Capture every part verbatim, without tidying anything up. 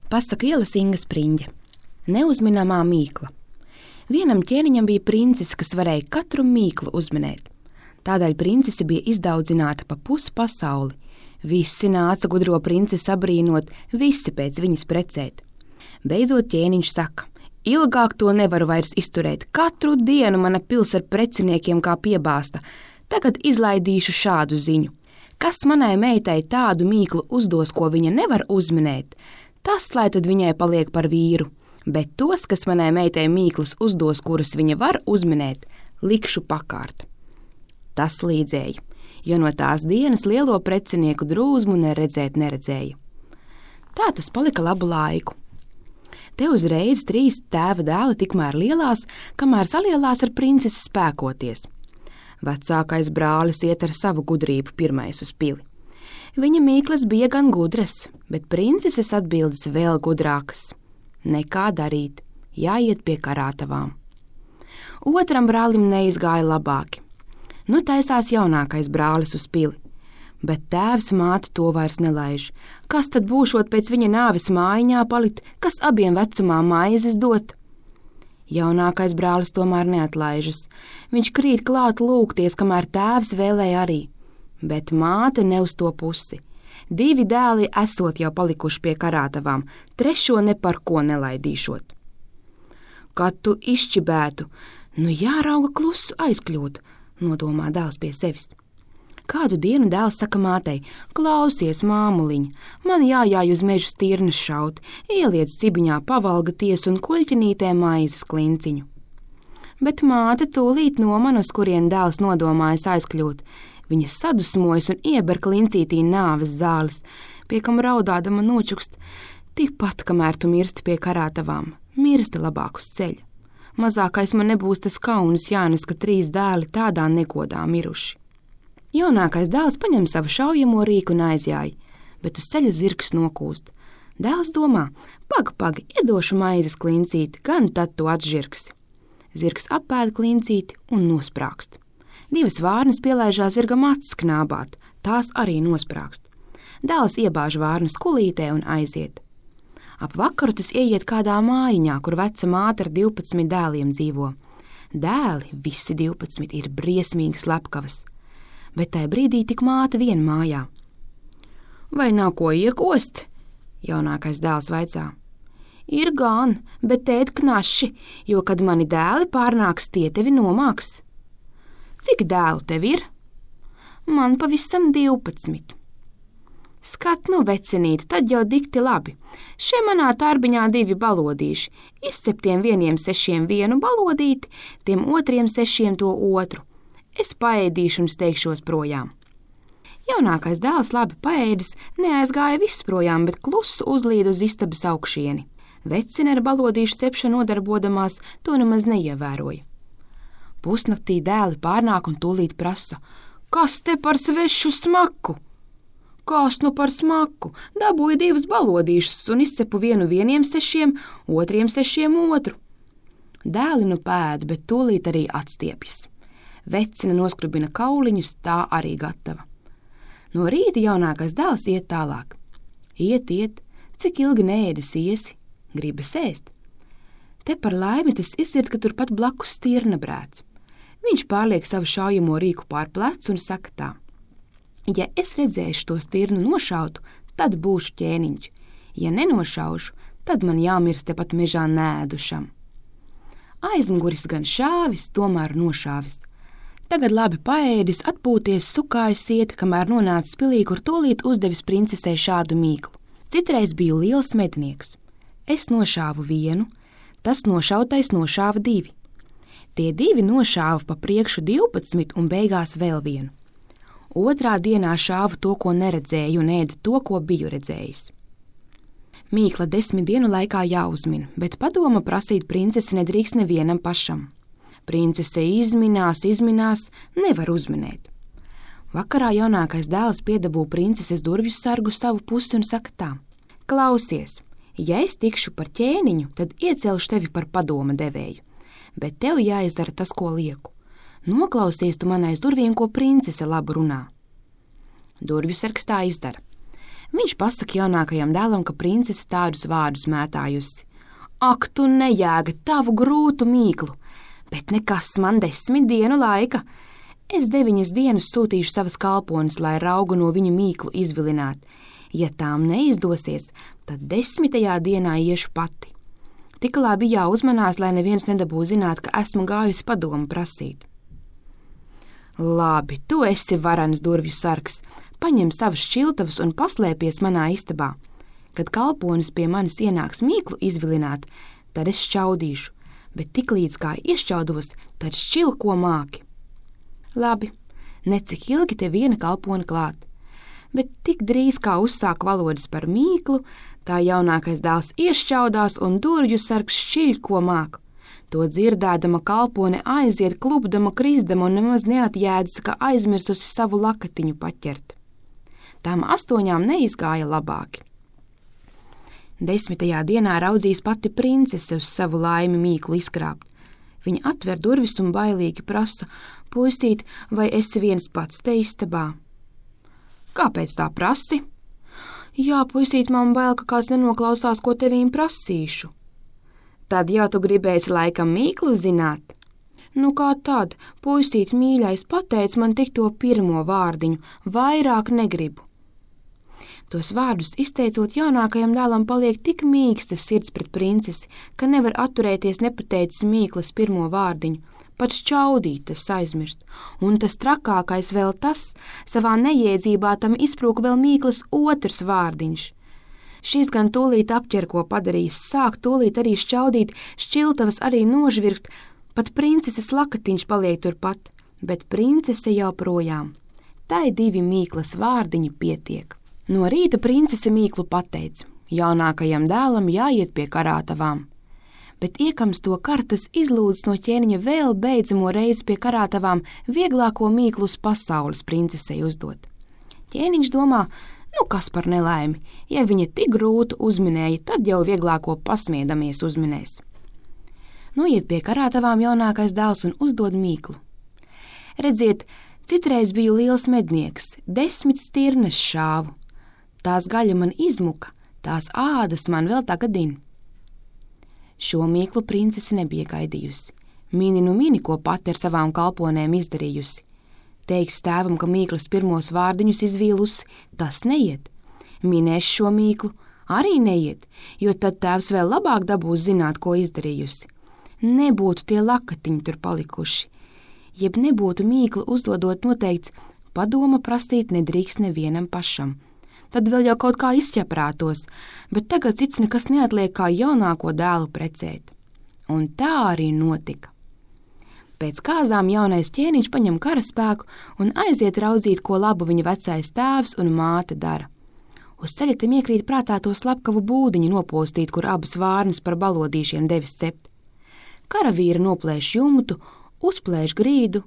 Pasaku ielas Inga Spriņģe. Neuzminamā mīkla. Vienam ķēniņam bija princese, kas varēja katru mīklu uzminēt. Tādēļ princese bija izdaudzināta pa pusi pasauli. Visi nāca gudro princesi abrīnot, visi pēc viņas precēt. Beidzot ķēniņš saka: ilgāk to nevaru vairs izturēt. Katru dienu mana pils ar preciniekiem kā piebāsta. Tagad izlaidīšu šādu ziņu. Kas manai meitai tādu mīklu uzdos, ko viņa nevar uzminēt, tas, lai tad viņai paliek par vīru. Bet tos, kas manai meitai mīklas uzdos, kuras viņa var uzminēt, likšu pakārt. Tas līdzēja, jo no tās dienas lielo precinieku drūzmu neredzēt neredzēja. Tā tas palika labu laiku. Te uzreiz trīs tēva dēli tikmēr lielās, kamēr salielās ar princesi spēkoties. Vecākais brālis iet ar savu gudrību pirmais uz pili. Viņa mīklas bija gan gudras, bet princeses atbildes vēl gudrākas. Nekā darīt, jāiet pie karātavām. Otram brālim neizgāja labāki. Nu taisās jaunākais brālis uz pili, bet tēvs māte to vairs nelaiž. Kas tad būšot pēc viņa nāves mājiņā palikt, kas abiem vecumā maizes dot? Jaunākais brālis tomēr neatlaižas. Viņš krīt klāt lūgties, kamēr tēvs vēlēja arī. Bet māte ne uz to pusi. Divi dēli esot jau palikuši pie karātavām, trešo ne par ko nelaidīšot. Kad tu izšķibētu, nu jārauga klusu aizkļūt, nodomā dēls pie sevis. Kādu dienu dēls saka mātei: klausies, māmuliņa, man jājāj uz mežu stirnas šaut, ieliec cibiņā pavalgaties un kuļķinītē maizes klinciņu. Bet māte tūlīt noman, uz kurien dēls nodomājas aizkļūt. Viņa sadusmojas un ieber klincītī nāves zāles, pie kam raudādama nočukst: tikpat, kamēr tu mirsti pie karātavām, mirsti labāk uz ceļa. Mazākais man nebūs tas kauns jānes, ka trīs dēli tādā negodā miruši. Jaunākais dēls paņem savu šaujamo rīku un aizjāja, bet uz ceļa zirgs nokūst. Dēls domā: pag, pag, iedošu maizes klincīti, gan tad tu atžirgsi. Zirgs apēd klincīti un nosprākst. Divas vārnas pielaižās zirgam acis knābāt, tās arī nosprākst. Dēls iebāž vārnas kulītē un aiziet. Ap vakaru tas ieiet kādā mājiņā, kur veca māte ar divpadsmit dēliem dzīvo. Dēli, visi divpadsmit, ir briesmīgi slepkavas, bet tai brīdī tik māte vien mājā. Vai nav ko iekost? Jaunākais dēls vaicā. Ir gan, bet tēt knaši, jo, kad mani dēli pārnāks, tie tevi nomāks. Cik dēlu tev ir? Man pavisam divpadsmit. Skat, nu, vecenīt, tad jau dikti labi. Šie manā tarbiņā divi balodīši. Izceptiem vieniem sešiem vienu balodīti, tiem otriem sešiem to otru. Es paēdīšu un steigšos projām. Jaunākais dēls labi paēdis, neaizgāja viss projām, bet klusu uzlīd uz istabas augšieni. Vecine ar balodīšu cepšanu nodarbodamās to nemaz neievēroja. Pusnaktī dēli pārnāk un tūlīt prasa: kas te par svešu smaku? Kas nu par smaku? Dabūju divas balodīšas un izcepu vienu vieniem sešiem, otriem sešiem otru. Dēli nu pēd, bet tūlīt arī atstiepjas. Vecine noskrubina kauliņus, tā arī gatava. No rīta jaunākais dēls iet tālāk. Iet, iet, cik ilgi neēdis iesi, gribas ēst. Te par laimi tas izsiet, ka turpat blakus stirna brēc. Viņš pārliek savu šaujamo rīku pār plecu un saka tā: ja es redzēšu to stirnu nošautu, tad būšu ķēniņš. Ja nenošaušu, tad man jāmirst tepat mežā nēdušam. Aizmuguris gan šāvis, tomēr nošāvis. Tagad labi paēdis, atpūties, sukājis iet, kamēr nonācis pilī, kur tūlīt uzdevis princesei šādu mīklu. Citreiz biju liels mednieks. Es nošāvu vienu, tas nošautais nošāva divi. Tie divi nošāva pa priekšu divpadsmit un beigās vēl vienu. Otrā dienā šāvu to, ko neredzēju, un ēdu to, ko biju redzējis. Mīkla desmit dienu laikā jāuzmin, bet padoma prasīt princesi nedrīkst nevienam pašam. Princese izminās, izminās, nevar uzminēt. Vakarā jaunākais dēls piedabū princeses durvju sargu savu pusi un saka tā: klausies, ja es tikšu par ķēniņu, tad iecelšu tevi par padoma devēju. Bet tev jāizdara tas, ko lieku. Noklausies tu man aiz durvīm, ko princese labu runā. Durvju sargs tā izdara. Viņš pasaka jaunākajam dēlam, ka princese tādus vārdus mētājusi. Ak, tu nejēga tavu grūtu mīklu, bet nekas man desmit dienu laika. Es deviņas dienas sūtīšu savas kalpones, lai raugu no viņu mīklu izvilinātu. Ja tām neizdosies, tad desmitajā dienā iešu pati. Tik labi jāuzmanās, lai neviens nedabū zināt, ka esmu gājusi padomu prasīt. Labi, tu esi varens durvju sargs. Paņem savas šķiltavas un paslēpies manā istabā. Kad kalponis pie manis ienāks mīklu izvilināt, tad es šķaudīšu, bet tiklīdz kā iešķaudos, tad šķil, ko māki. Labi, necik ilgi te viena kalpona klāt, bet tik drīz kā uzsāk valodas par mīklu, tā jaunākais dēls iešķaudās un durvju sargs šķiļ, ko māk. To dzirdēdama kalpone aiziet klupdama, krisdama un nemaz neatjēdzas, ka aizmirsusi savu lakatiņu paķert. Tām astoņām neizgāja labāki. Desmitajā dienā raudzīs pati princese uz savu laimi mīklu izkrāpt. Viņa atver durvis un bailīgi prasa, puisīt, vai esi viens pats te istabā? Kāpēc tā prasi? Jā, puisīt, man bail, ka kāds nenoklausās, ko tevīm prasīšu. Tad jau tu gribēsi laikam mīklu zināt? Nu kā tad, puisīt mīļais, pateic man tik to pirmo vārdiņu, vairāk negribu. Tos vārdus izteicot, jaunākajam dēlam paliek tik mīkstas sirds pret princesi, ka nevar atturēties nepateicis mīklas pirmo vārdiņu, pat šķaudīt tas aizmirst. Un tas trakākais vēl tas, savā neiedzībā tam izprūka vēl mīklas otrs vārdiņš. Šis gan tūlīt apķer, ko padarījis, sāk tūlīt arī šķaudīt, šķiltavas arī nožvirkst, pat princeses lakatiņš paliek turpat, bet princese jau projām. Tai divi mīklas vārdiņi pietiek. No rīta princese mīklu pateica, jaunākajam dēlam jāiet pie karātavām. Bet iekams to kartas izlūdz no ķēniņa vēl beidzamo reizi pie karātavām vieglāko mīklu uz pasaules princesei uzdot. Ķēniņš domā, nu kas par nelaimi, ja viņa tik grūtu uzminēja, tad jau vieglāko pasmiedamies uzminēs. Noiet pie karātavām jaunākais dēls un uzdod mīklu. Redziet, citreiz biju liels mednieks, desmit stirnes šāvu. Tās gaļa man izmuka, tās ādas man vēl tagadin. Šo mīklu princese nebija gaidījusi. Mini nu mini, ko pati ar savām kalponēm izdarījusi. Teiks tēvam, ka mīklas pirmos vārdiņus izvīlusi, tas neiet. Minēs šo mīklu, arī neiet, jo tad tēvs vēl labāk dabūs zināt, ko izdarījusi. Nebūtu tie lakatiņi tur palikuši. Jeb nebūtu mīklu uzdodot noteikts, padoma prasīt nedrīkst nevienam pašam. Tad vēl jau kaut kā izķeprātos, bet tagad cits nekas neatliek kā jaunāko dēlu precēt. Un tā arī notika. Pēc kāzām jaunais ķēniņš paņem karaspēku un aiziet raudzīt, ko labu viņa vecais tēvs un māte dara. Uz ceļa tam iekrīt prātā to slepkavu būdiņu nopostīt, kur abas vārnas par balodīšiem devis cept. Karavīri noplēš jumtu, uzplēš grīdu,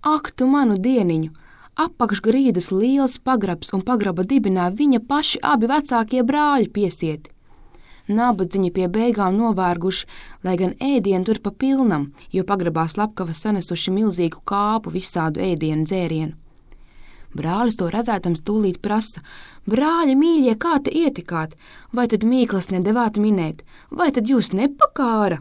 ak tu manu dieniņu! Apakš grīdas liels pagrabs un pagraba dibinā viņa paši abi vecākie brāļi piesieti. Nabadziņi pie beigām novērguši, lai gan ēdienu tur pa pilnam, jo pagrabā slepkava sanesuši milzīgu kāpu visādu ēdienu dzērienu. Brālis to redzētams tūlīt prasa, brāļi mīļie, kā te ietikāt, vai tad mīklas nedevāt minēt, vai tad jūs nepakāra?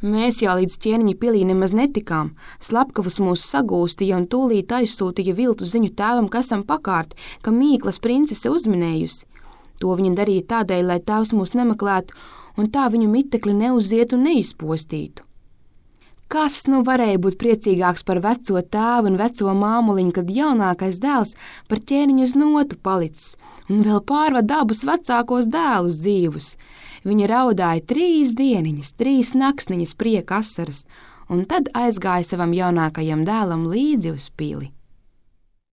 Mēs jau līdz ķēniņa pilī nemaz netikām, slepkavas mūs sagūstīja un tūlīt aizsūtīja viltu ziņu tēvam, ka esam pakārti, ka mīklas princese uzminējusi. To viņa darīja tādēļ, lai tēvs mūs nemeklētu un tā viņu mitekli neuzietu un neizpostītu. Kas nu varēja būt priecīgāks par veco tēvu un veco māmuliņu, kad jaunākais dēls par ķēniņu uz notu palicis un vēl pārvad abus vecākos dēlus dzīvus. Viņa raudāja trīs dieniņas, trīs naksniņas prieka asaras, un tad aizgāja savam jaunākajam dēlam līdzi uz pili.